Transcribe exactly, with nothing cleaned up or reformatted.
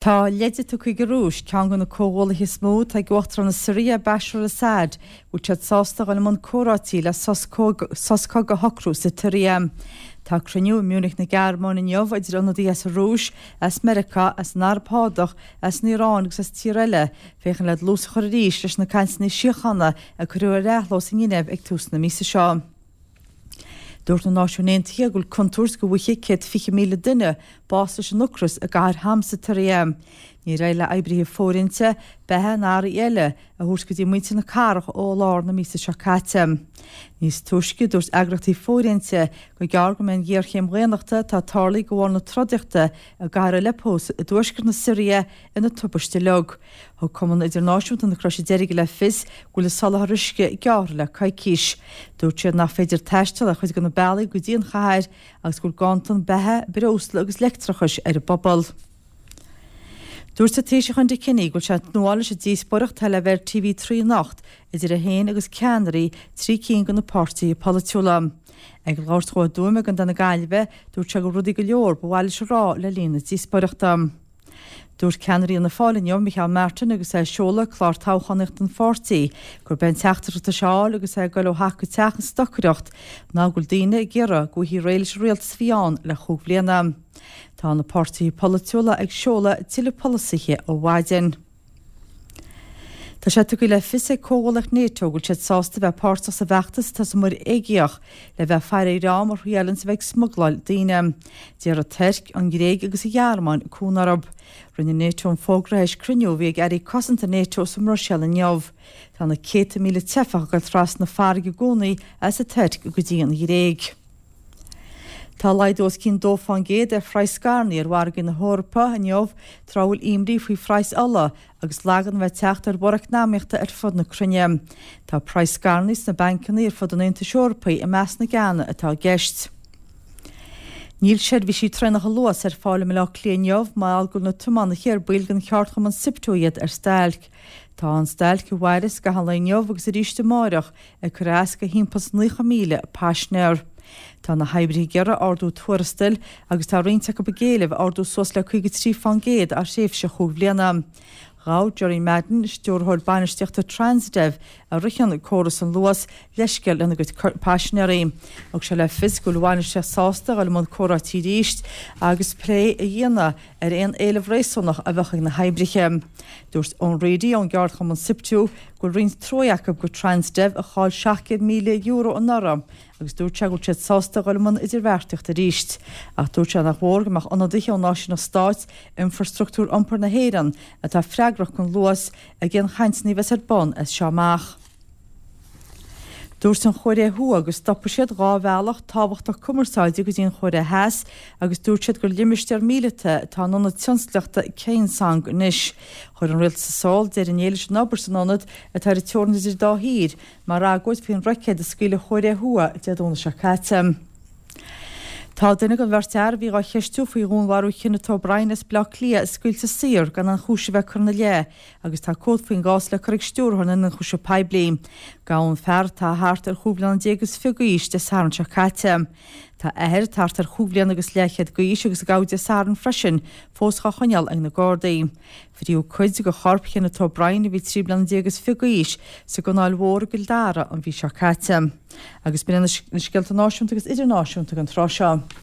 Tá leide tugtha ag an Rúis, ceann de na comhghuaillithe is mó atá ag Uachtarán na Siria, Bashar al-Assad, go bhfuil siad sásta dul i mbun comhráití le sos cogaidh a shocrú sa tSiria. Tá cruinniú i Munich na Gearmáine inniu idir ionadaithe as an Rúis, as Meiriceá, as an Araib Shádach, as an Iaráin agus as tír eile, féachaint le dlús a chur arís leis na cainteanna síochána a cuireadh ar athló sa nGinéiv ag tús na míosa seo. Dúirt na Náisiúin Aontaithe go bhfuil contúirt go bhfaighidh céad fiche míle duine bás leis an ocras i gcathair Homs sa tSiria. Níor éirigh le oibrithe fóirithinte beatha ná earraí eile a thabhairt go dtí muintir na cathrach ó lár na míosa seo caite. Níos túisce, dúirt eagraíochtaí fóirithinte gur gearr go mbeidh an ghéarchéim dhaonnachta atá tarlaithe de bharr na trodaíochta i gcathair Aleppo i dtuaisceart na Siria ina tubaiste uilig. Thug Cumann Idirnáisiúnta na Croise Deirge le fios go bhfuil an soláthar uisce gearrtha le coicís. Dúirt siad nach féidir taisteal ar chuid de na bealaí go dtí an chathair agus go bhfuil ganntan beatha, breosla agus leictreachais ar an bpobal. Dúirt an Taoiseach Enda Kenny go bhfuil sé ag tnúth leis an díospóireacht atá le bheith ar T V trí anocht idir é féin agus ceannairí trí cinn de na páirtithe polaitiúla. Ag labhairt dó i dTuaim i gContae na Gaillimhe, dúirt sé go bhfuil rudaí go leor ba mhaith leis a rá le linn na díospóireachta. Dúirt ceannaire Fhianna Fáil inniu, Micheál Martin, agus é ag seoladh clár toghchánaíochta an pháirtí, gurb é an teachtaireacht atá sé a fháil agus é ag dul ó theach go teach ag stocaireacht ná go bhfuil daoine ag iarraidh go bhfaighfí réidh leis an rialtas a bhí ann le chúig bhliana. Tá na páirtithe polaitiúla ag seoladh tuilleadh polasaithe ó mhaidin. Tá sé tugtha le fios ag comhghuaillíocht NATO go bhfuil siad sásta bheith páirteach sa bhfeachtas atá sa Muir Aeigéach le bheith ag faire ar dhream a thriaileann a bheith ag smugláil daoine. D'iarr an Tuirc, an Ghréig agus an Ghearmáin cúnamh orthu. Rinne NATO an fógra théis cruinniú a bhí ag airí cosanta NATO sa mBruiséil inniu. Tá na céadta míle teifeach ag dul trasna farraige i gcónaí as an Tuirc go dtí an Ghréig. Tá laghdú os cionn dó faoin gcéad ar phraghas scairní ar mhargaí na hEorpa inniu tráth a bhfuil imní faoi phraghas ola agus lagan bheith teacht ar bhorradh eacnamaíochta ar fud na cruinne. Tá praghas scairní sna bancanna ar fud an Aontais Eorpaigh i measc na gceanna atá i gceist. Níl seirbhísí traenacha Luas ar fáil i mBaile Átha Cliath inniu mar go bhfuil na tiománaithe ar baill den cheardchumann SIPTU iad ar stailc. Tá an stailc i bhfeidhm gach aon lá inniu agus arís amárach ag cur as go thimpeall naocha míle paisinéir. Tá na hoibrithe ag iarraidh ardú tuarastail agus tá roinnt acu ag éileamh ardú suas le caoga trí faoin gcéad thar thréimhse chúig bhliana. Ghabh Jerry Madden, stiúrthóir bainistíochta Transdev a ritheann córas an Luas leithscéal lena gcuid paisinéirí. Thug sé le fios go bhfuil bainistíocht sásta dul i mbun comhráití arís agus plé a dhéanamh ar aon éileamh réasúnach a bheadh ag na hoibrithe. Dúirt Eoin Reidy ón gceardchumann SIPTU go bhfuil roinnt trua acu go Transdev a chaill seacht gcéad míle euro anuraidh agus dúirt sé go bhfuil siad sásta dul i mbun idirbheartaíocht arís. Ach dúirt sé nach mhór go mbeadh ionadaithe ó náisiúnach stáit infrastruchtúr iompair na hÉireann atá freagrach don Luas ag aon chainteanna a bheas ar bun as seo amach. Dúirt an Chóiré Thuaidh go stopfaidh siad dhá bhealach tábhachtach cumarsáide go dtí an Chóiré Theas agus dúirt siad gur limistéar míleata atá in ionad tionsclaíochta Kaesong anois. Chuir an rialtas i Seoul deireadh inné leis an obair san ionad atá ar an teorainn idir dá thír mar agóid faoin roicéad a scaoil an Chóiré Thuaidh Dé Domhnaigh seo caite. Tá duine den bheirt fhear a bhí á cheistiú faoi dhúnmharú Kenneth O'Brien as Baile Átha Cliath scaoilte saor gan aon chúis a bheith curtha ina leith agus tá comhad faoin gcás le cur ag stiúrthóir na n-ionchúiseamh poiblí. Gabhadh an fear atá thart ar chúig bliana déag is fiche d'aois Dé Sathairn seo caite. Tá athair thart ar chúig bliana agus leathchéad d'aois agus a gabhadh Dé Sathairn freisin fós á choinneáil ag na Gardaí. Fríothadh cuid de chorp Kenneth O'Brien a bhí trí bliana déag is fiche d'aois sa gCanáil Mhór i gCill Dara an mhí seo caite. Agus b'in na scéalta náisiúnta agus idirnáisiúnta an tráth seo.